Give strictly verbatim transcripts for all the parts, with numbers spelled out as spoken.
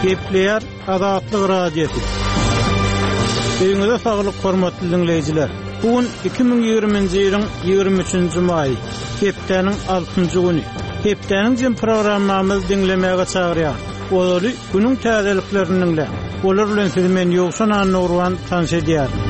Gepleýär Azatlyk Radiosy. Öýüňize saglyk hormatly dinleýjiler. Bu gün iki müň ýigriminji ýylyň ýigrimi üçünji maýy, hepdäniň altynjy güni. Hepdäniň jem programmamyzy diňlemäge çagyrýar. Ozaly günüň täzeliklerini diňläň. Olar bilen sizi men Ýowşan Annagurban tanyş edýärin.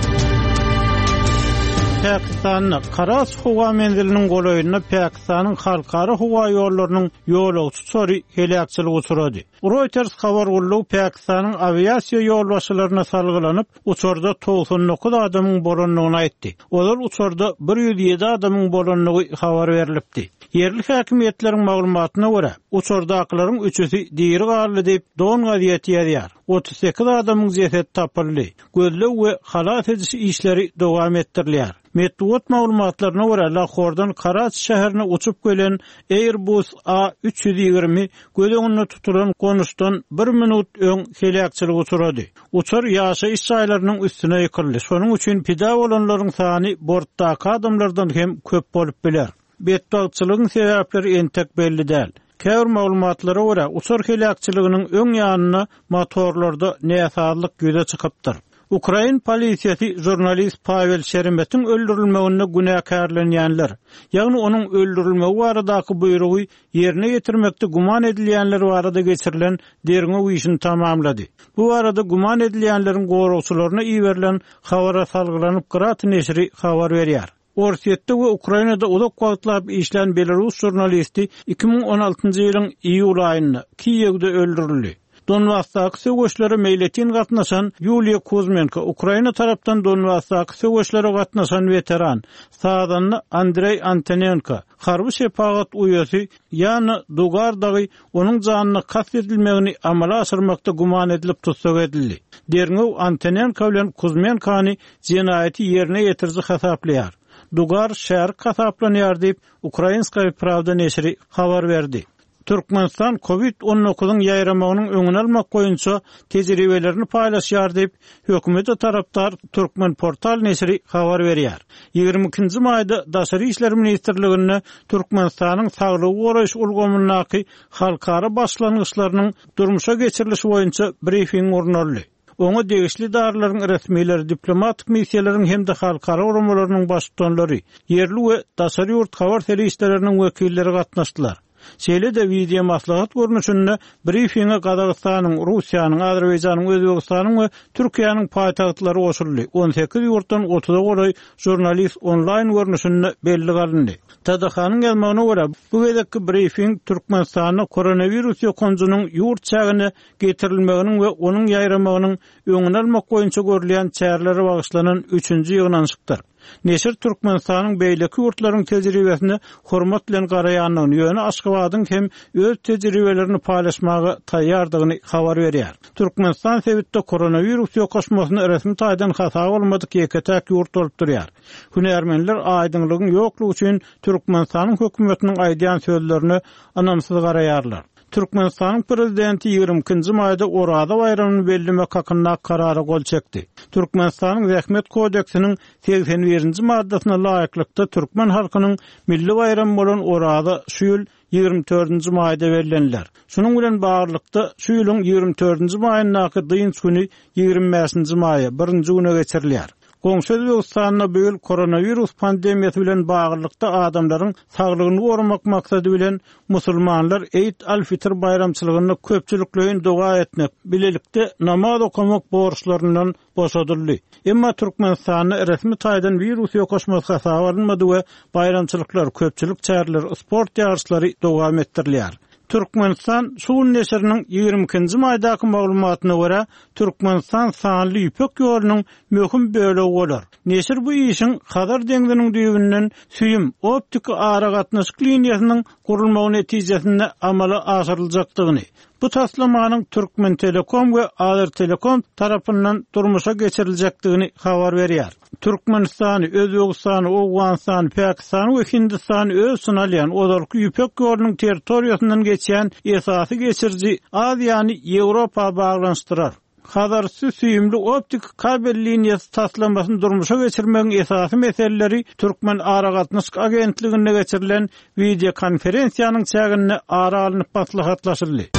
Pakistanda Karaçi howa menziliniň golaýynda Pakistanyň halkara howa ýollarynyň ýolagçy uçary heläkçilige uçrady. Reuters habar gullugy Pakistanyň awiasiýa ýolbaşçylaryna salgylanyp, uçarda togsan dokuz adamyň bolandygyny aýtdy. Ozal uçarda bir ýüz ýedi adamyň bolandygy habar berilipdi. Ýerli häkimiýetleriň maglumatyna görä, uçardakylaryň üçüsi diri galdy diýip Don gazeti ýazýar. Otuz sekiz adamyň jesedi tapyldy. Gözleg we halas ediş işleri dowam etdirilýär. Metbugat maglumatlaryna görä, Lahordan Karaçi şäherine uçup gelen Airbus A üç ýüz ýigrimi göz öňünde tutulan gonuşdan bir minut öň heläkçilik uçrady. Uçar ýaşaýyş jaýlarynyň üstüne ýykyldy. Şonuň üçin pida bolanlaryň sany bortdaky adamlardan hem köp bolup biler. Betbagtçylygyň sebäpleri entek belli däl. Käbir maglumatlara görä, uçar heläkçiliginiň öň ýanynda motorlarda näsazlyk ýüze çykypdyr. Ukrain polisiýasy jurnalist Pavel Şeremetin öldürilmeginde günäkärlenýänler, ýagny onuň öldürilmegi baradaky buýrugy ýerine ýetirmekde güman edilýänler barada geçirilen derňew işini tamamlady. Bu barada güman edilýänleriň goragçylaryna iberilen habara salgylanyp Grat neşiri habar berýär. Orsýetde we Ukrainada uzak wagtlap işlän Belarus jurnalisti iki müň on altynjy ýylyň iýul aýynda Kiýewde öldürildi. Donbasdaky söweşlere meýletin gatnaşan Ýuliýa Kuzmenko, Ukraina tarapdan Donbasdaky söweşlere gatnaşan weteran, sazanda Andrey Antonenko, harby şepagat uýasy Ýana Dugar dagy onuň janyna kast edilmegini amala aşyrmakda güman edilip tussag edildi. Derňew Antonenko bilen Kuzmenkony jenaýaty ýerine ýetiriji hasaplaýar. Dugar şärik hasaplanýar diýip Ukrainskaya Pravda neşiri habar berdi. Türkmenistan COVID on dokuzyň ýaýramagynyň öňüni almak boýunça tejribelerini paýlaşýar diýip hökümete tarapdar Türkmen portal neşiri habar berýär. Ýigrimi ikinji maýda Daşary işler ministrliginde Türkmenistanyň saglygy goraýyş ulgamyndaky halkara başlangyçlarynyň durmuşa geçirilişi boýunça brifing gurnaldy. Oňa degişli edaralaryň resmileri, diplomatik missiýalaryň hem-de halkara guramalarynyň baştutanlary, ýerli we daşary ýurt habar serişdeleriniň wekilleri gatnaşdylar. Şeýle-de video maslahat görnüşinde brifing'e Gazagystanyň, Russiýanyň, Azerbaýjanyň, Özbegistanyň we Türkiýäniň paýtagtlary goşuldy. On sekiz ýurtdan otuza golaý jurnalist onlaýn görnüşinde belli galyndy. T D H-nyň ýazmagyna görä, bu gezekki brifing Türkmenistanda koronawirus ýokanjynyň ýurt çägine getirilmeginiň we onuň ýaýramagynyň öňüni almak boýunça görülýän çärelere bagyşlanan üçünji ýygnanyşykdyr. Neşir Türkmenistanyň beýleki ýurtlaryň tejribesine hormat bilen garaýandygyny, ýöne Aşgabadyň hem öz tejribelerini paýlaşmaga taýýardygyny habar berýär. Türkmenistan sebitde koronawirus ýokaşmasyny resmi taýdan hasaba almadyk ýeke-täk ýurt bolup durýar. Hünärmenler aýdyňlygyň ýoklugy üçin Türkmenistanyň hökümetiniň aýdýan sözlerine ynamsyz garaýarlar. Türkmenistanyň prezidenti ýigrimi ikinji maýda Oraza baýramyny bellemek hakynda karara gol çekdi. Türkmenistanyň Zähmet kodeksiniň segsen birinji maddasyna laýyklykda türkmen halkynyň milli baýramy bolan Oraza şu ýyl ýigrimi dördünji maýda belleniler. Şunuň bilen baglylykda şu ýylyň ýigrimi dördünji maýyndaky dynç güni ýigrimi bäşinji maýa birinji güne geçirilýär. Goňşy Özbegistanda bu ýyl koronawirus pandemiýasy bilen baglylykda adamlaryň saglygyny goramak maksady bilen musulmanlar Eid al-Fitr baýramçylygynda köpçülikleýin doga etmek, bilelikde namaz okamak borçlaryndan boşadyldy. Emma Türkmenistanda resmi taýdan wirus ýokaşmasy hasaba alynmady we baýramçylyklar, köpçülik çäreleri, sport ýaryşlary dowam etdirilýär. Türkmenistan şu gün neşiriniň ýigrimi ikinji maýdaky maglumatyna görä, Türkmenistan sanly ýüpek ýolunyň möhüm bölegi bolar. Neşir bu işiň Hazar deňziniň düýbünden süýüm optiki aragatnaşyk liniýasynyň gurulmagy netijesinde amala aşyryljakdygyny, bu taslamanyň Türkmen Telekom we Azertelekom tarapyndan durmuşa geçiriljekdigini habar berýär. Türkmenistany, Özbegistany, Owganystany, Pakistany we Hindistany öz içine alýan ozalky ýüpek ýolunyň territoriýasyndan geçýän esasy geçiriji Aziýany Ýewropa baglanyşdyrar. Hazarüstü süýümli optik kabel liniýasy taslamasyny durmuşa geçirmegiň esasy meseleleri Türkmen Aragatnaşyk Agentliginde geçirilen videokonferensiýanyň çäginde ara alnyp maslahatlaşyldy.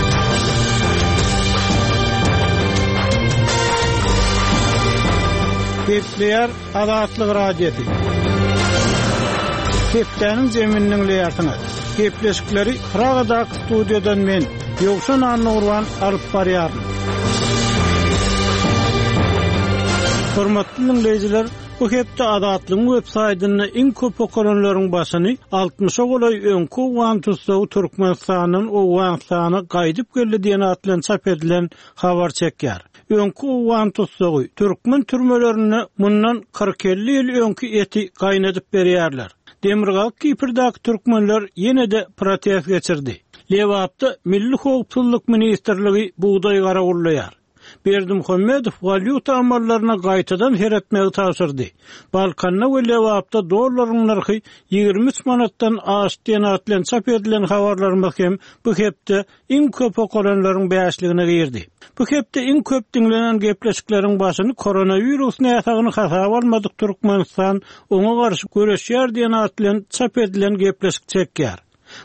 Gepleýär Azatlyk Radiosy. Hepdäniň zemini diňleýärsiňiz. Gepleşikleri Pragadaky studiýadan men Ýowşan Annagurban alyp barýaryn. Hormatly dinleýjiler, bu hepde Azatlygyň web saýtynda iň köp okalanlaryň başyny altmyşa golaý öňki Owgan tutsagy Türkmenistandan Owganystana gaýdyp geldi diýen at bilen çap edilen habar çekýär. Öňki Owgan tutsagy türkmen türmelerinde mundan kyrk elli ýyl öňki eti gaýnadyp berýärler. Demirgazyk Kipr'däki türkmenler ýene-de protest geçirdi. Lebapda Milli Howpsuzlyk Ministrligi bugdaý garawullaýar. Berdimuhamedow walýuta amallaryna gaýtadan seretmegi tabşyrdy. Balkanda we Lebapda dollaryň nyrhy ýigrimi üç manatdan aşdy diýen at bilen çap edilen habarlarymyz hem bu hepde iň köp okalanlaryň bäşligine girdi. Bu hepde iň köp diňlenen gepleşikleriň başyny koronawirus näsagyny hasaba almadyk Türkmenistan oňa garşy göreşýär diýen at bilen çap edilen gepleşik çekýär.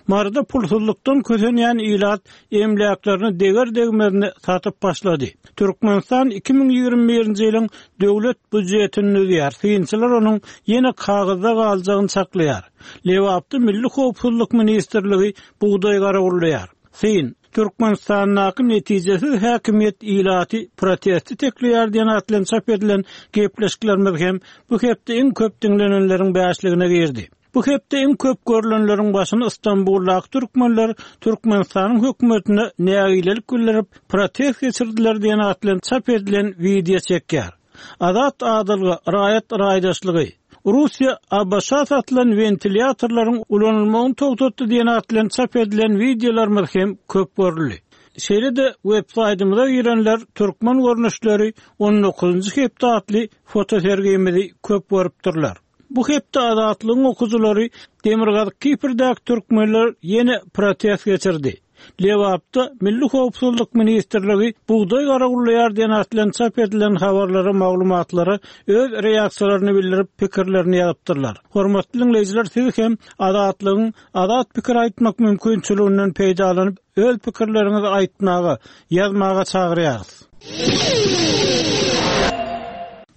Maryda pulsuzlukdan kösenýän ilat emläklerini deger degmezini satyp başlady. Türkmenistan iki müň ýigrimi birinji ýylyň döwlet býujetini düzýär. Synçylar onuň ýene kagyzda galjagyny çaklaýar. Lebapda Milli Howpsuzlyk Ministrligi bugdaý garawullaýar. Syn, Türkmenistandaky netijesiz häkimiýet ilaty protesti tekleýär diýen at bilen çap edilen gepleşiklerimiz hem bu hepde iň köp diňlenenleriň bäşligine girdi. Bu hepde iň köp görülenleriň başyny İstanbuldaky türkmenler Türkmenistanyň hökümetine nägilelik bildirip protest geçirdiler diýen at bilen çap edilen wideo çekýär. Azat adalga, raýat raýdaşlygy. Russiýa A B Ş satylan wentilýatorlaryň ulanylmagyny togtatdy diýen at bilen çap edilen wideolarymyz hem köp görüldi. Şeýle-de web saýtymyza girenler türkmen görnüşleri on dokuzunjy hepde atly fotosergimizi köp görüpdirler. Bu hepde Azatlygyň okujylary Demirgazyk Kipr'däki türkmenler ýene protest geçirdi. Lebapda Milli Howpsuzlyk Ministrligi bugdaý garawullaýar diýen at bilen çap edilen habarlara, maglumatlara öz reaksiýalaryny bildirip pikirlerini ýazypdyrlar. Hormatly dinleýjiler, siz hem Azatlygyň azat pikir aýtmak mümkinçiliginden peýdalanyp öz pikirleriňizi aýtmaga, ýazmaga çagyrýarys.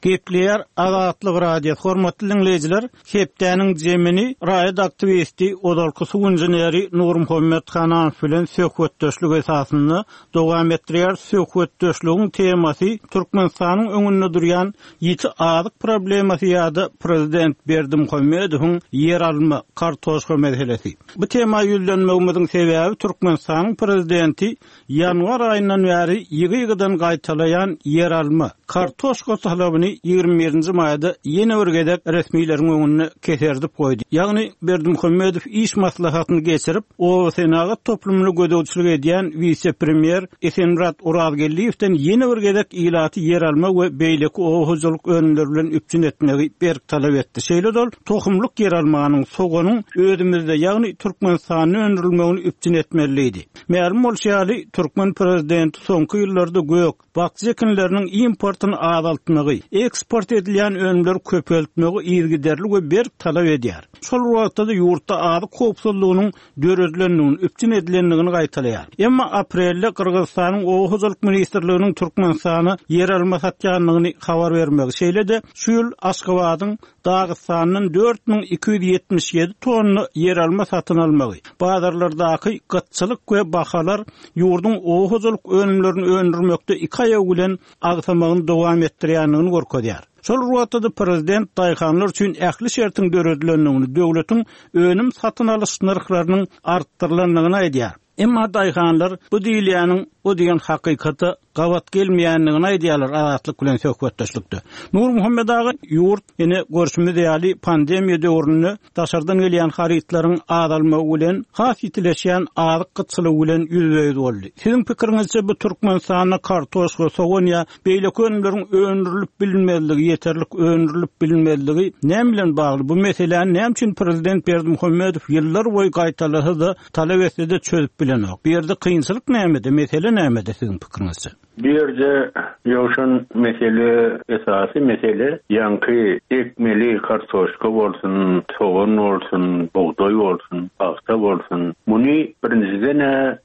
Gepleýär Azatlyk Radiosy. Hormatly dinleýjiler, hepdäniň zemini raýat aktiwisti ozalky suw inženeri Nurmuhammet Hananow bilen söhbetdeşlik esasynda dowam etdirýär. Söhbetdeşligiň temasy Türkmenistanyň öňünde durýan ýiti azyk problemasy ýa-da prezident Berdimuhamedowyň ýer alma kartoşka meselesi. Bu tema ýüzlenmegimizin sebäbi Türkmenistanyň prezidenti ýanwar aýyndan bäri ýygy-ýygydan gaýtalaýan ýer alma kartoşka talabyny ýigrimi birinji maýda ýene bir gezek resmileriň öňünde keserdip goýdy. Ýagny Berdimuhamedow iş maslahatyny geçirip, oba senagat toplumyny gözegçilik edýän wise-premýer Esenmurat Orazgeldiýewden ýene bir gezek ilaty ýer alma we beýleki oba hojalyk önümleri bilen üpjün etmegi berk talap etdi. Şeýle dol tohumlyk ýer almanyň, soganyň özümizde, ýagny Türkmenistanda öndürilmegini üpjün etmeliydi. Mälim bolşy ýaly, türkmen prezidenti soňky ýyllarda gök, bakja ekinleriniň importyny azaltmagy, eksport edilýän önümleri köpeltmegi yzygiderli we berk talap edýär. Şol wagtda da ýurtda azyk howpsuzlygynyň döredilendigini, üpjün edilendigini gaýtalaýar. Emma aprelde Gyrgyzystanyň Oba hojalyk ministrliginiň Türkmenistana ýer alma satýandygyny habar bermegi, şeýle-de şu ýyl Aşgabadyň Dagystandan dört müň iki ýüz ýetmiş ýedi tonna ýer alma satyn almagy, bazarlardaky gytçylyk we bahalar ýurduň oba hojalyk önümlerini öndürmekde iki aýagy bilen agsamagyny dowam etdirýändigini görkezýär. Şol wagtda da prezident daýhanlar üçin ähli şertiň döredilendigini, döwletiň önüm satyn alyş nyrhlarynyň artdyrylandygyny aýdýar. Emma daýhanlar bu diýilýäniň o diýen hakykata gabat gelmeýändigini aýdýarlar Azatlyk bilen söhbetdeşlikde. Nurmuhammet aga, ýurt ýene görşümiz ýaly pandemiýa döwründe daşardan gelýän harytlaryň azalmagy bilen has ýitileşýän azyk gytçylygy bilen ýüzbe-ýüz boldy. Siziň pikiriňizçe bu Türkmenistanda kartoşka, sogan ýa beýleki önümleriň öndürilip bilinmezligi, ýeterlik öndürilip bilinmezligi näme bilen bagly? Bu meseläni näme üçin prezident Berdimuhamedow ýyllar boýy gaýtalasa-da talap etse-de çözüp bilenok? Bu ýerde kynçylyk nämede, mesele nämede siziň pikiriňizçe? Bu ýerde ýowşan mesele, esasy mesele ýaňky ekmeli kartoşka bolsun, sogan bolsun, bugdaý bolsun, pagta bolsun. Muny birinjiden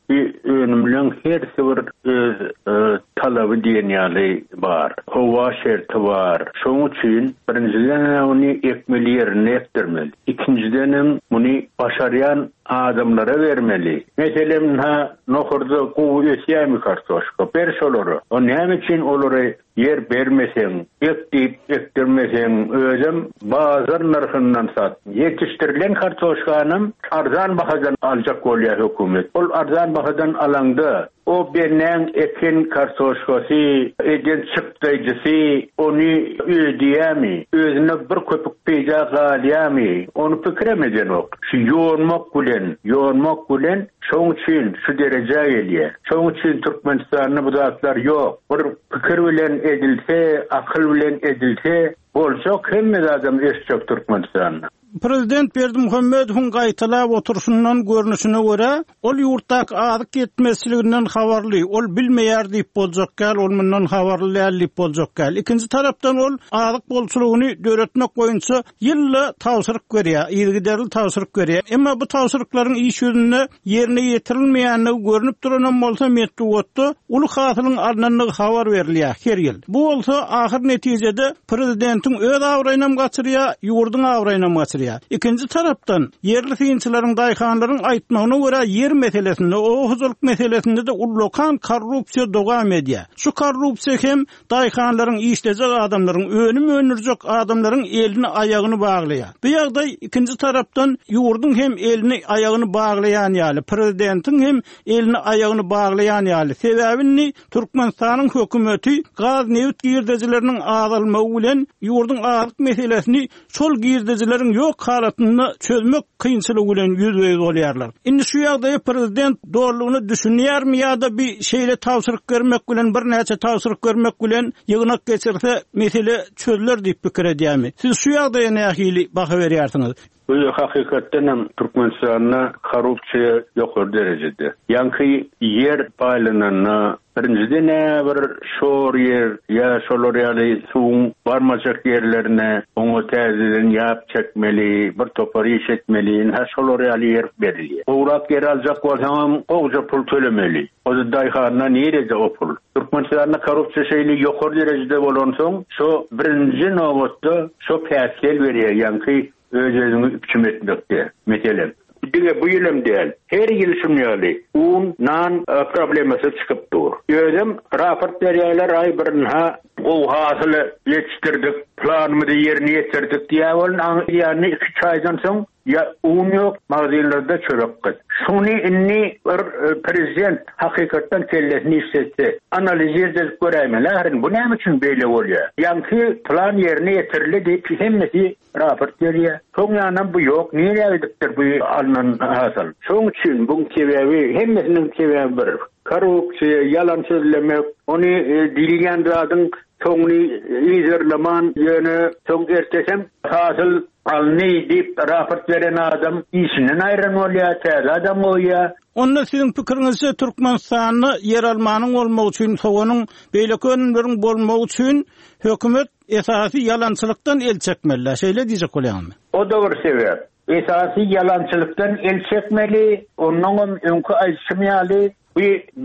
bir önümleň hersi bir öz, e, talaby diýen ýaly bar. Howa şerti bar. Şonuň üçin birinjiden ony ekmeli ýerine ekdirmeli. Ikinjiden hem muny başarýan adamlara bermeli. Meselem, ha nohurda gowy ösýärmi kartoşka? Ber şolara. O näme üçin olary ýer bermeseň, ek diýip ekdirmeseň, özem bazar nyrhyndan sat. Ýetişdirilen kartoşkanam arzan bahadan aljak bolýar hökümet. Ol arzan bahadan alanda o benen eken kartoşkasy, eden çykdaýjysy ony ödeyemi, özüne bir köpük peýda galýamy, ony pikir edenok. Şu ýonmak bilen, ýonmak bilen şoň üçin şu derejä gelýär. Şoň üçin Türkmenistanda bu zatlar ýok. Bir pikir bilen edilse, akyl bilen edilse, boljak hemme adam ösjek Türkmenistanda. Prezident Berdimuhamedowyň gaýtalap oturşundan görnüşine görä, ol ýurtdaky azyk ýetmezçiliginden habarly, ol bilmeýär diýip boljak gel, ol mundan habarly däl diýip boljak gel. Ikinji tarapdan ol azyk bolçulygyny döretmek boýunça ýylla tabşyryk berýär, yzygiderli tabşyryk berýär. Emma bu tabşyryklaryň iş ýüzünde ýerine ýetirilmeýänligi görünüp duranam bolsa metbugatda uly hasylyň alnandygy habar berilýär her ýyl. Bu bolsa ahyr netijede prezidentiň öz abraýynam gaçyrýar, ýurduň abraýynam gaçyrýar. Ikinji tarapdan ýerli synçylaryň, daýhanlaryň aýtmagyna görä ýer meselesinde, o hojalyk meselesinde de ullakan korrupsiýa dowam edýär. Şu korrupsiýa hem daýhanlaryň, işlejek adamlaryň, önüm öndürjek adamlaryň elini aýagyny baglaýar. Bu ýagdaý ikinji tarapdan ýurduň hem elini aýagyny baglaýan ýaly, prezidentiň hem elini aýagyny baglaýan ýaly. Sebäbini Türkmenistanyň hökümeti gaz neft girdejileriniň azalmagy bilen ýurduň azyk meselesini şol girdejileriň ýok halatynda çözmek kynçylygy bilen ýüzbe-ýüz bolýarlar. Indi şu ýagdaýa prezident dogrulygyny düşünýärmi ýa-da bir şeýle tabşyryk bermek bilen birnäçe tabşyryk bermek bilen ýygnak geçirse mesele çözüler diýip pikir edýärmi? Siz şu ýagdaýa nähili baha berýärsiňiz? Bu hakykatdan hem Türkmenistanda korrupsiýa ýokary derejede. Ýaňky ýer paýlananda birinjide ne bir şor ýer ýa şolar ýaly suwuň barmajak ýerlerine oňa täzeden ýap çekmeli, bir topar iş etmeli, ha şolar ýaly ýer berilýär. Gowrak ýer aljak bolsaňam gowja pul tölemeli. O da daýhana nirede o pul? Türkmenistanda korrupsiýa şeýle ýokary derejede bolansoň, şo birinji nobatda şo päsgel berýär, ýaňky öz-özüňi üpjün etmekde. Meselem, diňe bu ýylym däl, her ýyl şun ýaly un, nan e, problemasy çykyp dur. Özüm raport berýärler, aý birinha gowy hasyly ýetişdirdik, planymyzy ýerine ýetirdik diýä bolun, ýany iki çaýdan soň ya un ýok, magazinlerde çörek gyt. Şuny inni bir e, prezident hakykatdan kellesini işletse, analiz edip göräýmeli, ahyrin bu näme üçin beýle bolýar? Ýaňky plan ýerine ýetirildi diýip hemmesi raport berýär. Soň ýanam bu ýok, nirä gidipdir bu alnan hasyl? Şoň üçin bu sebäbi hemmesiniň sebäbi bir. Korrupsiýa, ýalan sözlemek, ony e, diýilýän zadyň soňuny izerleman ýöne soň ertesem hasyl alny diýip raport beren adam işinden aýran bolýar, täze adam goýýar. Onda siziň pikiriňizçe Türkmenistanda ýer almanyň bolmagy üçin, soganyň, beýleki önümleriň bolmagy üçin hökümet esasy ýalançylykdan el çekmeli. Şeýle diýjek bolýarmy? O da bir sebäp. Esasy ýalançylykdan el çekmeli, ondan öňki aýtşym ýaly bu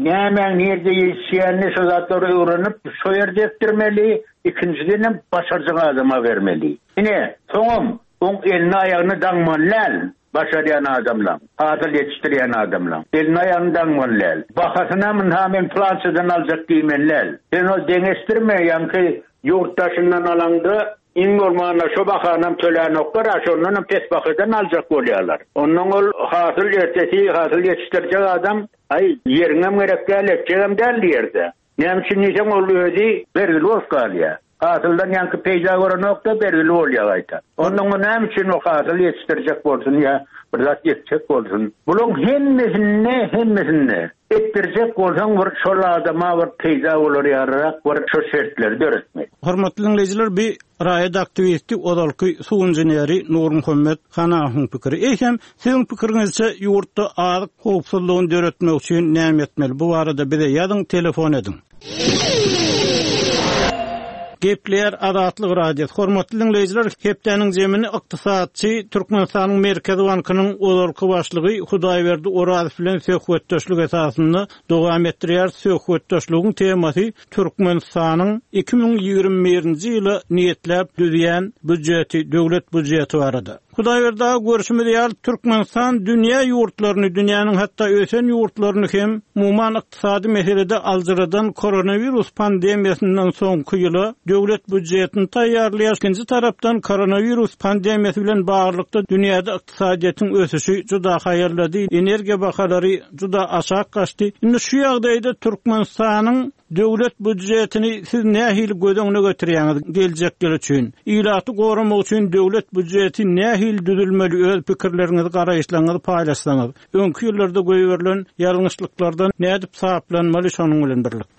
nämäň nirde ýetişýänini şo zatlary öwrenip, şo ýerde etdirmeli, ikinjiden hem başarjak adama bermeli. Ine, soňam oň elini aýagyny daňmaly däl, başarýan adamlar, hasyl ýetişdirýän adamlar. Elini aýagyny daňmaly däl. Bahasyna munha men plançadan aljak diýmeli däl. Sen o deňeşdirme, ýaňky ýurt daşyndan alanda iň bolmanda şo bahanam tölänoklar, a şondanam pes bahadan aljak bolýarlar. Ondan ol hasyl ertesi, hasyl ýetişdirjek adam, aý ýeriňem gerek däl, etjegem däl diýerde. Näme üçin diýseň ol özi bergili bolup galýar. Hasyldan ýaňky peýda görenokda bergili bolýar gaýta. Ondan o näme üçin o hasyl ýetişdirjek bolsun ýa bir zat ýetjek bolsun. Buluň hemmesinde, hemmesinde etdirjek bolsaň bir şol adama bir peýda bolar ýaryrak bir şo şertleri döretmek. Hormatly dinleýjiler, bir raýat aktiwisti ozalky suw inženeri Nurmuhammet Hanawyň pikiri. Eýsem, siziň pikiriňizçe ýurtda azyk howpsuzlygyny döretmek üçin näme etmeli? Bu barada bize ýazyň, telefon ediň. Gepleýär Azatlyk Radiosy. Hormatly diňleýjiler, hepdäniň zemini ykdysatçy Türkmenistanyň Merkezi Bankynyň ozalky başlygy Hudaýberdi Orazow bilen söhbetdeşlik esasynda dowam etdirýär. Söhbetdeşligiň temasy Türkmenistanyň iki müň ýigrimi birinji ýyla niýetläp düzýän býujeti, döwlet býujeti barada. Hudaýberdi aga, görşümiz ýaly, Türkmenistan dünýä ýurtlaryny, dünýäniň hatda ösen ýurtlaryny hem umuman ykdysady meselede aljyradan koronawirus pandemiýasyndan soňky ýyla döwlet býujetini taýýarlaýar. Ikinji tarapdan koronawirus pandemiýasy bilen baglylykda dünýäde ykdysadyýetiň ösüşi juda haýallady, energiýa bahalary juda aşak gaçdy. Indi şu ýagdaýda Türkmenistanyň döwlet býujetini siz nähili göz öňüne getirýäňiz geljek ýyl üçin? Ilaty goramak üçin döwlet býujeti nähili düzülmeli? Öz pikirleriňizi, garaýyşlaryňyzy paýlaşsaňyz. Öňki ýyllarda goýberilen ýalňyşlyklardan nädip saplanmaly şonuň bilen birlikde?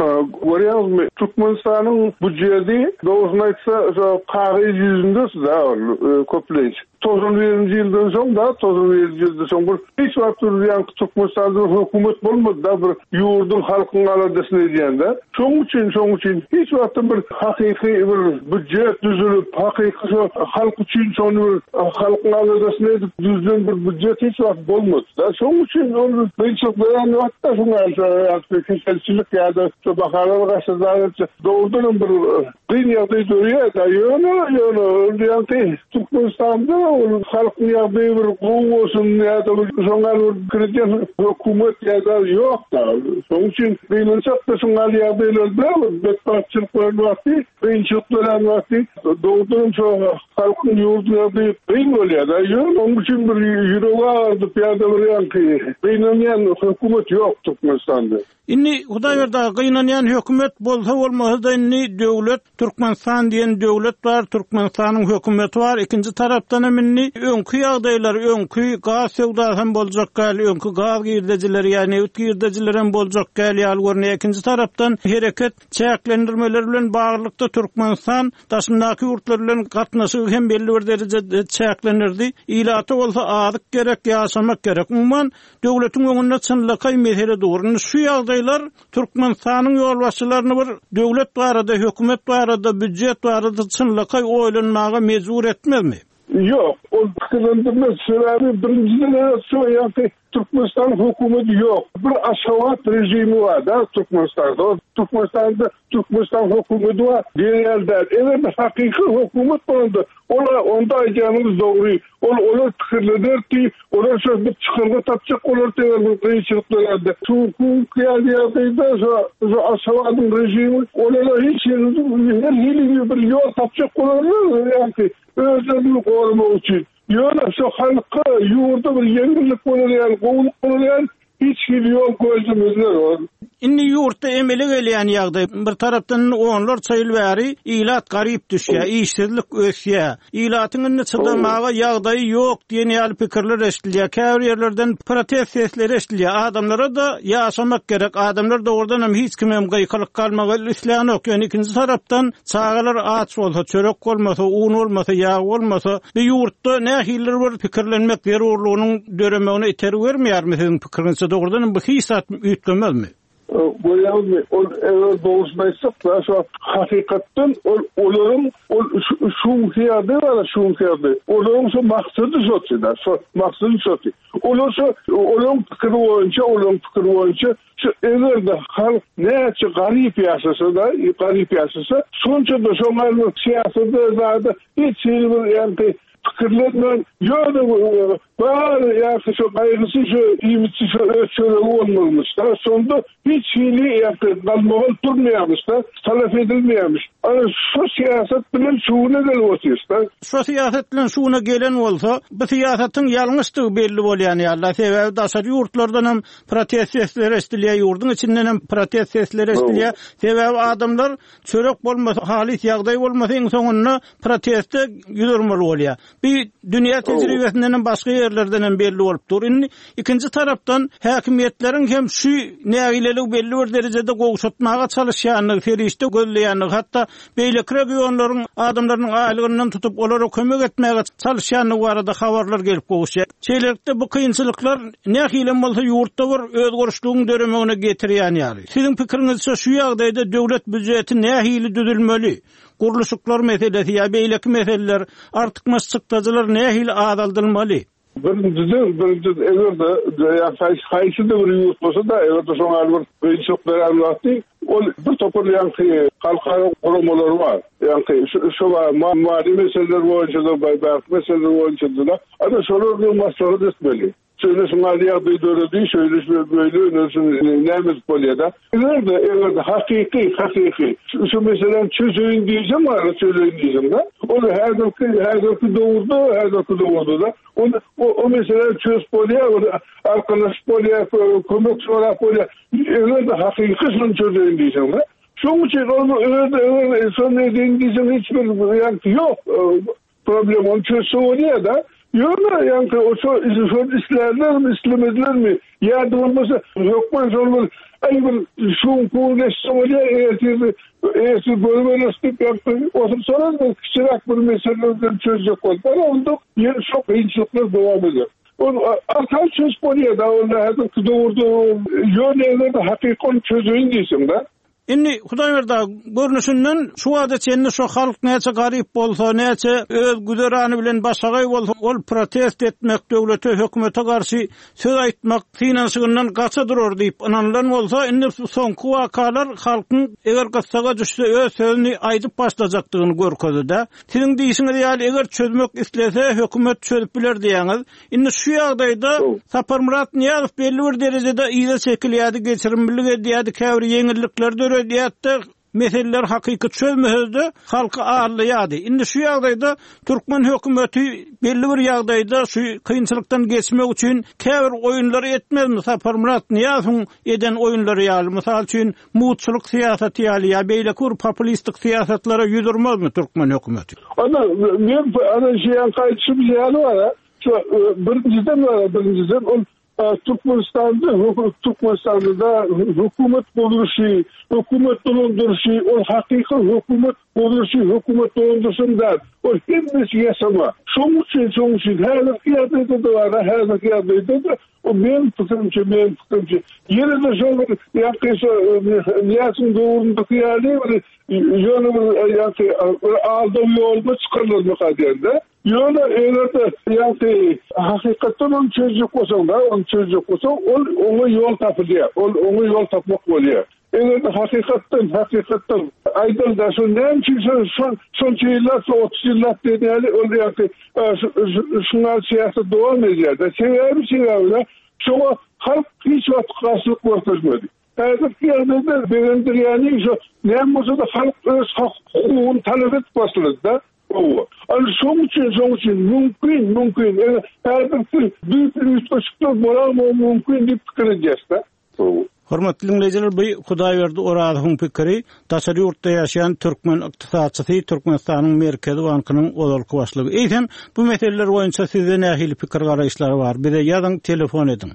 Görýäňizmi, Türkmenistanyň býujeti dogrusyny aýtsa, şo kagyz ýüzünde da ol, e, köplenç. Togsan birinji ýyldan soň da, togsan birinji ýyldan soň bir hiç wagt bir ýaňky Türkmenistanda bir hökümet bolmady da, bir ýurduň halkyň aladasyny edýän-de. Şonuň üçin, şonuň üçin hiç wagt bir hakyky bir býujet düzülip, hakyky şo halk üçin şony bir halkyň aladasyny edip düzülen bir býujet hiç wagt bolmady da. Şonuň üçin ol kynçylyklar wagtda şoňa ýa-da keselçilik ýa-da şo bahalar gaçyrlar, dogrudan bir kyn ýagdaý dörýär da. Ýöne, ýöne, ol ýaňky Türkmenistanda ol halkyň ýagdaýy bir gowy bolsun ýa-da bir şoňa bir kredit hökümet ýa-da ýok da. Şonuň üçin kynçylyk da şoňa ýagdaýlarda betbagtçylyk bolan wagty, kynçylyk dörän wagty dogrudan şo halkyň ýurduň ýagdaýy kyn bolýar da. Ýöne onuň üçin bir ýüregi agyrdyp ýa-da bir ýaňky gynanýan hökümet ýok Türkmenistanda. Indi Hudaýberdi aga, gynanýan hökümet bolsa bolmasa da indi döwlet Türkmenistan diýen döwlet bar, Türkmenistanyň hökümeti bar. Ikinji tarapdan hem indi öňki ýagdaýlar, öňki gaz söwdasy hem boljak gal, öňki gaz girdejileri ýa neft girdejileri hem boljak gal ýaly görünýär. Ikinji tarapdan hereket çäklendirmeleri bilen baglylykda Türkmenistan daşyndaky ýurtlar bilen gatnaşygy hem belli bir derejede çäklendirdi. Ilaty bolsa azyk gerek, ýaşamak gerek. Umuman döwletiň öňünde çynlakaý mesele dur. Indi şu ýagdaýlar Türkmenistanyň ýolbaşçylaryny bir döwlet barada, hökümet barada, býujet barada çynlakaý oýlanmaga mejbur etmezmi? Ýok, ol pikirlendirmez. Sebäbi birinjiden şu ýagdaý Türkmenistan hökümeti ýok. Bir Aşgabat rejimi bar da Türkmenistanda. Türkmenistanda Türkmenistan hökümeti bar diýen däl. Eger hakyky hökümet bolanda, olar onda aýdýanyňyz dogry. Ol olar pikirlenirdi, olar şo bir çykarga tapjak olar diýen bir kynçylyklar Türkmen ýagdaýda şu şu Aşgabadyň rejimi olara hiç her hili bir ýol tapjak bolarlar, ýagny özlerini goramak üçin. Ýöne şu halka ýurda bir ýeňillik bolar ýaly, gowulyk bolar ýaly hiç hili ýol gözlemezler ol. Indi ýurtda emele gelýän ýagdaý bir tarapdan onlarça ýyl bäri ilat garyp düşýär, işsizlik ösýär. Ilatyň indi çydamaga ýagdaýy ýok diýen ýaly pikirler eşidilýär. Käbir ýerlerden protest sesleri eşidilýär. Adamlara da ýaşamak gerek. Adamlar dogrudan hem hiç kim hem gykylyk galmagy islänok. Ýöne ikinji tarapdan çagalar aç bolsa, çörek bolmasa, un bolmasa, ýag bolmasa, bir ýurtda nähilidir bir pikirlenmek zerurlygynyň döremegine itergi bermeýärmi siziň pikiriňizçe? Dogrudan hem bu hiç zat üýtgemezmi? Görýäňizmi, ol eger dogrusyny aýtsak da, şu hakykatdan ol olaryň ol şu ýerde bar, şu ýerde. Olaryň şu maksady şo da, şu maksady şo. Olar şu olaryň pikiri boýunça, olaryň pikiri boýunça şu eger de halk näçe garyp ýaşasa da, garyp ýaşasa, şonça da şoňa bir syýasatda zada hiç hili bir ýagny pikirlenmän, ýöne bar ýa-da şu gaýgysy şu iýmitsi şu öz çöregi bolmalymış da, şonda hiç hili ýagny galmagal durmaýarmyş da, talap edilmeýärmiş. Ana şu syýasat bilen şuna gelip otyrys da. Şu syýasat bilen şuna gelen bolsa, bu syýasatyň ýalňyşdygy belli bolýan ýaly. Sebäbi daşary ýurtlardan hem protest sesleri eşidilýär, ýurduň içinden hem protest sesleri eşidilýär. Sebäbi adamlar çörek bolmasa, halys ýagdaý bolmasa iň soňunda proteste ýüz urmaly bolýar. Bir dünýä tejribesinden hem başga ýerlerden hem belli bolup dur. Indi ikinji tarapdan häkimiýetleriň hem şu nägileligi belli bir derejede gowşatmaga çalyşýandygy, serişde gözleýändigi, hatda beýleki regionlaryň adamlarynyň aýlygyndan tutup olara kömek etmäge çalyşýandygy barada habarlar gelip gowuşýar. Şeýlelikde bu kynçylyklar nähili bolsa ýurtda bir özgerişligiň döremegine getirýän ýaly. Siziň pikiriňizçe şu ýagdaýda döwlet býujeti nähili düzülmeli? Gurluşyklar meselesi ýa beýleki meseleler artykmaç çykdajylar nähili azaldylmaly? Birinciden, birinciden eger-de haýsy-da bir ýurt bolsa-da, eger-de şoňa bir kynçylyk beren wagty, ol bir topar ýaňky halkara guramalary bar. Ýaňky şu mali meseleler boýunça-da, baýdak meseleler boýunça-da, ana şolar bilen maslahat etmeli. Şöyle şuňa ýagdaý döredi, şöyle böyle näme edip bolýar-da. Eger-de, eger-de hakyky, hakyky şu meseleni çözeyim diýsem var, çözeyim diýsem de, ol häzirki, häzirki döwürde, häzirki döwürde da, ol, o, o meseleyi çözüp bolýar, ol arkalaşyp bolýar, kömek sorap bolýar. Eger-de hakyky şunu çözeyim diýsem de, şonuň üçin ol eger-de, eger şonu edeyim diýsem hiç bir ýaňky ýok, problem onu çözse bolýar da. Ýöne ýaňky o şo şo islerler mi, islemezler mi? Ýa-da bolmasa hökman şol bir aý bir şuň pul geçse bolýar, ertir ertir görüberesi diýip ýaňky otursalar bir kiçiräk bir meseleleri çözjek bolup, ana onda ýene şo kynçylyklar dowam eder. Ol arkaý çözüp bolýar da, ol häzirki döwürde ýöne eger-de hakyky ony çözeýin diýseň da. Indi Hudaýberdi görnüşinden şu wada çenli şu halk näçe garyp bolsa, näçe öz güzerany bilen başagaý bolsa, ol protest etmek, döwlete, hökümete garşy söz aýtmak synanyşygyndan gaça durar diýip ynanylan bolsa, indi soňky wakalar halkyň eger gyssaga düşse öz sözüni aýdyp başlajakdygyny görkezdi. Siziň diýişiňiz ýaly eger çözmek islese hökümet çözüp biler diýäňiz. Indi şu ýagdaýda Saparmyrat Nyýazow belli bir derejede yza çekilýärdi, geçirimlilik edýärdi, käbir ýeňillikler döredýärdi. Meseleler hakyky çözmese-de halky alýardy. Indi şu ýagdaýda türkmen hökümeti belli bir ýagdaýda şu kynçylykdan geçmek üçin käbir oýunlary etmezmi? Saparmyrat Nyýazowyň eden oýunlary ýaly, mysal üçin mutçulyk syýasaty ýaly ýa beýleki bir populistik syýasatlara ýüz urmazmy türkmen hökümeti? Ana men ana şeýan gaýtşym ýaly bar. Şu birinciden var, birinciden ol Türkmenistan'da, Türkmenistan'da hükümet kuruluşu, hükümet dolandırışı, ol hakyky hükümet kuruluşu, hükümet dolandırışın da, ol hemmesi yaşama. Şonuň üçin, şonuň üçin häzirki ýagdaýda da var, häzirki ýagdaýda da o men pikirimçe, men pikirimçe, ýene de şol bir ýaňky şo Nyýazowyň döwründäki ýaly bir ýöne bir ýaňky aldaw ýoluna çykarylmak diýende. Ýöne eger-de ýaňky hakykatdan ony çözjek bolsaň da, ony çözjek bolsaň, ol oňa ýol tapylýar. Ol oňa ýol tapmak bolýar. Eger-de hakykatdan, hakykatdan aýdal da şo näme üçin şo şo şonça ýyllap, şo otuz ýyllap diýen ýaly ol ýaňky şuňa syýasat dowam edýär. Sebäbi, sebäbi şoňa halk hiç wagt garşylyk görkezmedi. Häzirki ýagdaýda begendirýäni şo näme bolsa-da halk öz hukugyny talap edip başlady da. Ana şonuň üçin, şonuň üçin mümkin, mümkin. Eger häzirki büyük üýtgeşikler bolarmy mümkin diýip pikir edýäs-de. Hormatly dinleýjiler, bu Hudaýberdi Orazowyň pikiri. Daşary ýurtda ýaşaýan türkmen ykdysatçysy, Türkmenistanyň Merkezi Bankynyň ozalky başlygy. Eýsem, bu meseleler boýunça sizde nähili pikir garaýyşlar bar? Bize ýazyň, telefon ediň.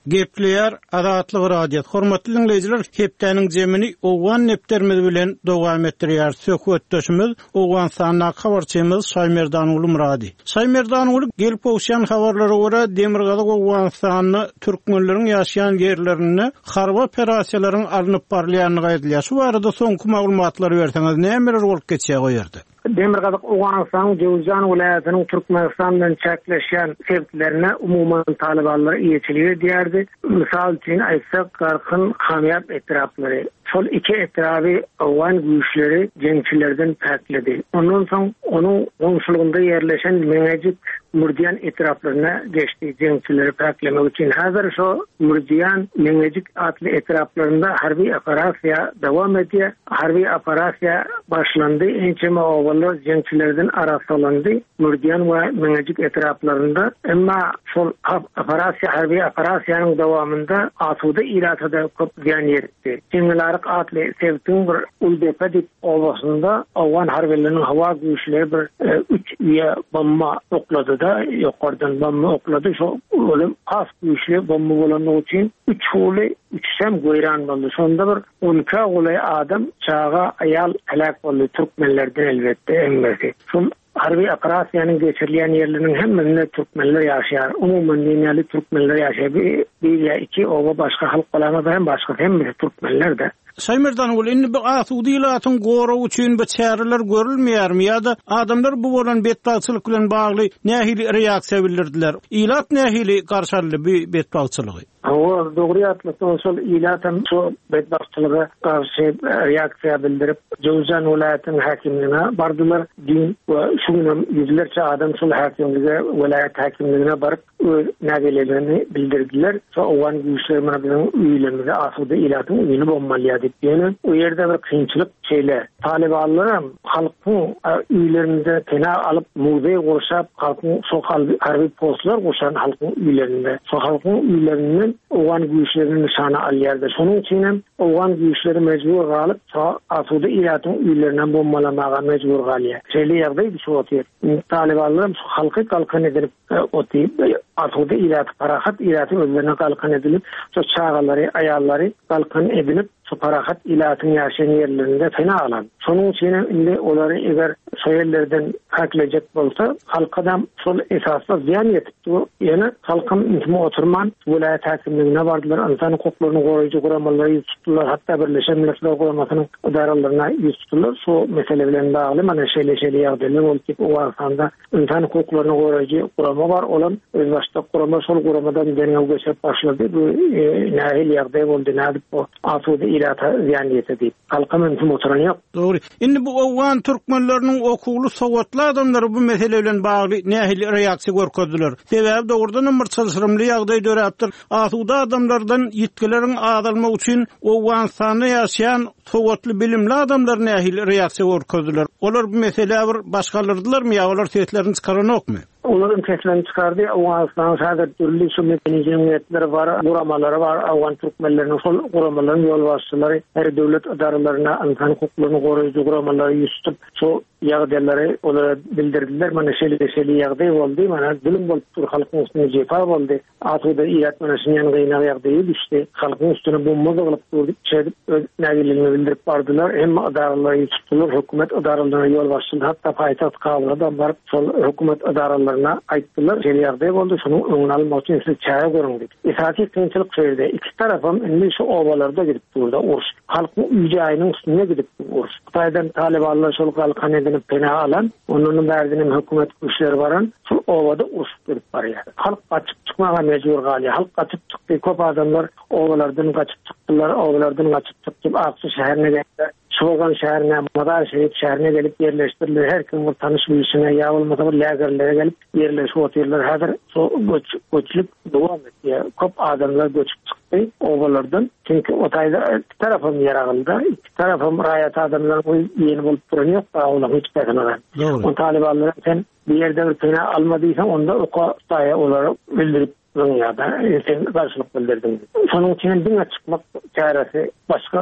Gepleýär Azatlyk Radiosy. Hormatly dinleýjiler, hepdäniň jemini Owgan nepderimiz bilen dowam etdirýär. Söhbetdeşimiz Owganystandaky habarçymyz Şaýmerdanguly Murady. Şaýmerdanguly, gelip gowşan habarlara görä Demirgazyk Owganystanda türkmenleriň ýaşaýan ýerlerinde harby operasiýalaryň alnyp barylýandygy aýdylýar. Şu barada soňky maglumatlary berseňiz, nämeler bolup geçýär o ýerde? Demirgazyk Owganystanyň Jowzjan welaýatynyň Türkmenistan bilen çäkleşýän sebitlerine umuman talybanlar eýeçilik edýärdi. Mysal üçin aýtsak, Garkyn, Kamýap etraplary. Şol iki etraby Owgan güýçleri jeňçilerden päkledi. Ondan soň onuň goňşulygynda ýerleşen Meňejik, Murdiýan etraplaryna geçdi jeňçileri päklemek üçin. Häzir şo Murdiýan, Meňejik atly etraplarynda harby operasiýa dowam edýär. Harby operasiýa başlandy. Ençeme obalar jeňçilerden arassalandy Murdiýan we Meňejik etraplarynda. Emma şol operasiýa, harby operasiýanyň dowamynda asuda ilata da köp zyýan ýetdi. Jeňňelaryk atly sebitiň bir Uldepe diýip obasynda Owgan harbylarynyň howa güýçleri bir, e, üç üye bomba oklady da, ýokardan bomba oklady. Şo ölüm has güýçli bomba bolanlygy üçin üç uly, üçem goýran boldy. Şonda bir on iki golaý adam, çaga, aýal helak boldy. Türkmenlerden elbetde hemmesi. Şol Harby operasiýanyň geçirilýän ýerleriniň hemmesinde türkmenler ýaşaýar. Umuman diýen türkmenler ýaşaýar. Bir, bir ýa iki oba başga halk bolanlar hem başga hemmesi türkmenler-de. Şaýmerdan ol indi bu asuda ilatyň goragy üçin bu çäreler görülmeýärmi ýa-da adamlar bu bolan betbagtçylyk bilen bagly nähili reaksiýa bildirdiler? Ilat nähili garşaldy bu betbagtçylygy? Hawa, dogry ýatlasaň, şol ilatam şu betbagtçylyga garşy reaksiýa bildirip, Jowzjan welaýatynyň häkimligine bardylar. Dün we şu gün hem ýüzlerçe adam şol häkimlige, welaýat häkimligine baryp öz nägilelerini bildirdiler. Şo owgan güýçleri mana biziň öýlerimize asuda ilatyň öýüni bombalýar diýip. Ýöne o ýerde bir kynçylyk şeýle. Talibanlar hem halkyň öýlerinde pena alyp, muzeý gurşap, halkyň şo harby postlar gurşan halkyň öýlerinde, şo halkyň öýlerinden owgan güýçlerini nyşana alýardy. Şonuň üçin hem owgan güýçleri mejbur galyp, şo asuda ilatyň öýlerinden bombalamaga mejbur galýar. Şeýle ýagdaý düşüp otyr. Talibanlar hem şu halky galkan edilip otyr. Asuda ilaty, parahat ilaty özlerine galkan edilip, şo çagalary, aýallary galkan edilip, şu parahat ilatyň ýaşaýan ýerlerinde pena alan. Şonuň üçin hem indi olary eger şo ýerlerden haklejek bolsa, halkadam şol esasda zyýan ýetip, ýöne halkam ünsüme oturman, welaýat häkimligine bardylar, insan hukuklaryny goraýjy guramalara ýüz tutdular, hatda Birleşen Milletler Guramasynyň edaralaryna ýüz tutdular. Şu mesele bilen bagly mana şeýle-şeýle ýagdaýlar boldy diýip, Owganystanda insan hukuklaryny goraýjy gurama bar, olam özbaşdak gurama, şol guramadan derňew geçirip başlady. Bu e, nähili ýagdaý boldy, nädip bu asuda ilata zyýan ýetdi diýip. Halkam ünsüm oturan ýok. Dogry. Indi bu owgan türkmenleriniň okuwly sowatly adamlary bu mesele bilen bagly nähili reaksiýa görkezdiler? Sebäbi dogrudan hem bir çylşyrymly ýagdaý döräpdir. Asuda adamlardan ýitgileriň azalmagy üçin Owganystanda ýaşaýan sowatly bilimli adamlar nähili reaksiýa görkezdiler? Olar bu meselä bir başgalardylarmy ýa olar seslerini çykaranokmy? Olaryň seslerini çykardy. Owganystanyň häzir dürli şu medeni jemgyýetleri bar, guramalary bar. Owgan türkmenleriniň şol guramalaryň ýolbaşçylary her döwlet edaralaryna insan hukuklaryny goraýjy guramalara ýüz tutup, şu ýagdaýlary olara bildirdiler. Mana şeýle-şeýle ýagdaý boldy, mana zulum bolup dur, halkyň üstüne jepa boldy. Asuda ilat mana şundan gyýnak ýagdaýy düşdi. Halkyň üstüne bomba zygylyp durdy. Şeýdip öz nägilelerini bildirip bardylar. Hem edaralara ýüz tutdular, hökümet edaralaryna ýolbaşçylar, hatda paýtagt Kabulda baryp şol hökümet edaralaryna aýtdylar. Şeýle ýagdaý boldy, şonuň öňüni almak üçin siz çäre görüň diýip. Esasy kynçylyk şu ýerde. Iki tarapam indi şu obalarda gidip durdy uruş. Halkyň öý-jaýynyň üstüne gidip uruş. Hytaýdan Talibanlar şol galkan edinip pena alan, ondan bärdenem hökümet güýçleri baran, şol obada uruş gidip barýar. Halk gaçyp çykmaga mejbur galýar. Halk gaçyp çykdy. Köp adamlar obalardan gaçyp çykdylar, obalardan gaçyp çykyp Aksu şäherine geldiler. Şogan şäherine, Mazar Şerif şäherine gelip yerleştiriler. Her kim bir tanış bilişine ýa bolmasa bir lägerlere gelip yerleşip otyrlar. Häzir şo göç, göçlük dowam etýär. Köp adamlar göçüp çykdy obalardan. Çünki o taýda iki tarapam ýaragyldy. Iki tarapam raýat adamlar ýeni bolup duran ýok, olaryň hiç birisine. Dogry. O talibanlar sen bir ýerde bir pena alma diýseň, onda oka taýa olara bildirip ýa-da sen garşylyk bildirdiň. Şonuň üçin diňe çykmak çäresi, başga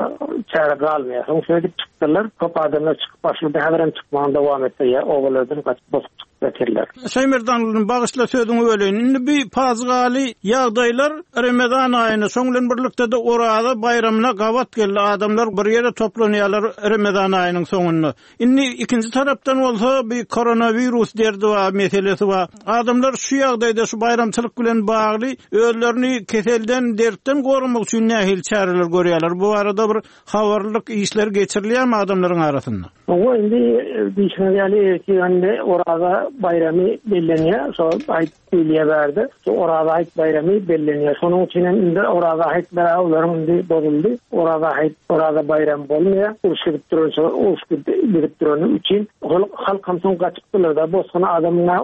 çäre galmaýar. Soň şeýdip çykdylar. Köp adamlar çykyp başlady, häzir hem çykmagyny dowam etdirýär. Obalardan gaçyp bosup çykyp getirdiler. Şaýmerdan bagyşla sözüňi böleýin. Indi bir pajygaly ýagdaýlar Ramazan aýyna, şoň bilen birlikde de Oraza baýramyna gabat geldi. Adamlar bir ýere toplanýarlar Ramazan aýynyň soňunda. Indi ikinji tarapdan bolsa bir koronawirus derdi bar, meselesi bar. Adamlar şu ýagdaýda şu baýramçylyk bilen bagly özlerini keselden, dertden goramak üçin nähili çäreler görýärler? Bu arada bir habarlyk işler geçirilýärmi adamlaryň arasynda? Owa, indi diýişine ýaly, indi Oraza baýramy bellenýär. Şo aýt diýilýär bärde. Şo Oraza aýt baýramy bellenýär. Şonuň üçin hem indi Oraza aýt olaryň indi bozuldy. Oraza aýt, Oraza baýramy bolmaýar. Uruş gidip duran, şo uruş gidip durany üçin ol halk hem soň gaçypdylar da bosguna adamyna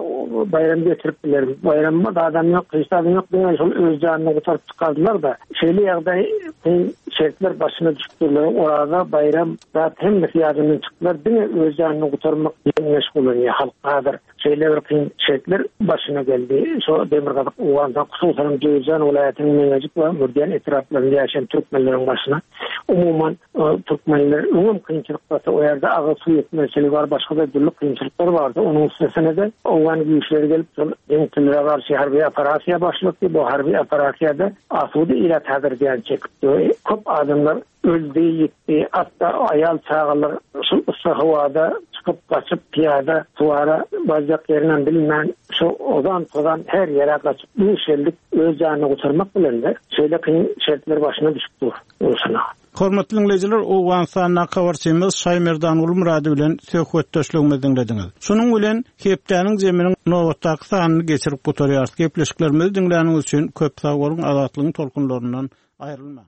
baýram getirip biler. Baýram adam ýok, hiç adam ýok. Diňe şol öz janyny gutaryp çykardylar da. Şeýle ýagdaý kyn şertler başyna düşüpdirler. Oraza baýram zat hemmesi ýadyndan çykdylar. Diňe öz janyny gutarmak bilen meşgullanýar halk häzir. Şeýle bir kyn şertler başyna geldi. Şo Demirgazyk Owganystan, hususan Jowzjan welaýatynyň Meňejik we Mürdiýan etraplarynda ýaşaýan türkmenleriň başyna. Umuman, e, türkmenler öňem kynçylyk barsa, o ýerde agyr suw ýetmezçiligi bar, başga da dürli kynçylyklar bardy. Onuň üstesine de Owgan güýçleri gelip, şol jeňçilere garşy harby operasiýa başlatdy. Bu harby operasiýada asuda ilat häzir zyýan çekipdi. Köp adamlar öldi, ýitdi, hatda aýal çagalar şol Yssa howada çykyp gaçyp piyada suwara barjak ýerinden bilmän şu ozan tozan her ýere gaçyp duş geldik öz janyny gutarmak bilen de şeýle kyn şertler başyna düşüp dur. Olsuna. Hormatly dinleýjiler, Owganystandaky habarçymyz Şaýmerdan Gulmurady bilen söhbetdeşligimizi diňlediňiz. Şunuň bilen hepdäniň zeminiň nobatdaky sanyny geçirip gutarýarys. Gepleşiklerimizi diňläniňiz üçin köp sag boluň, azatlygyň tolkunlaryndan aýrylmaň.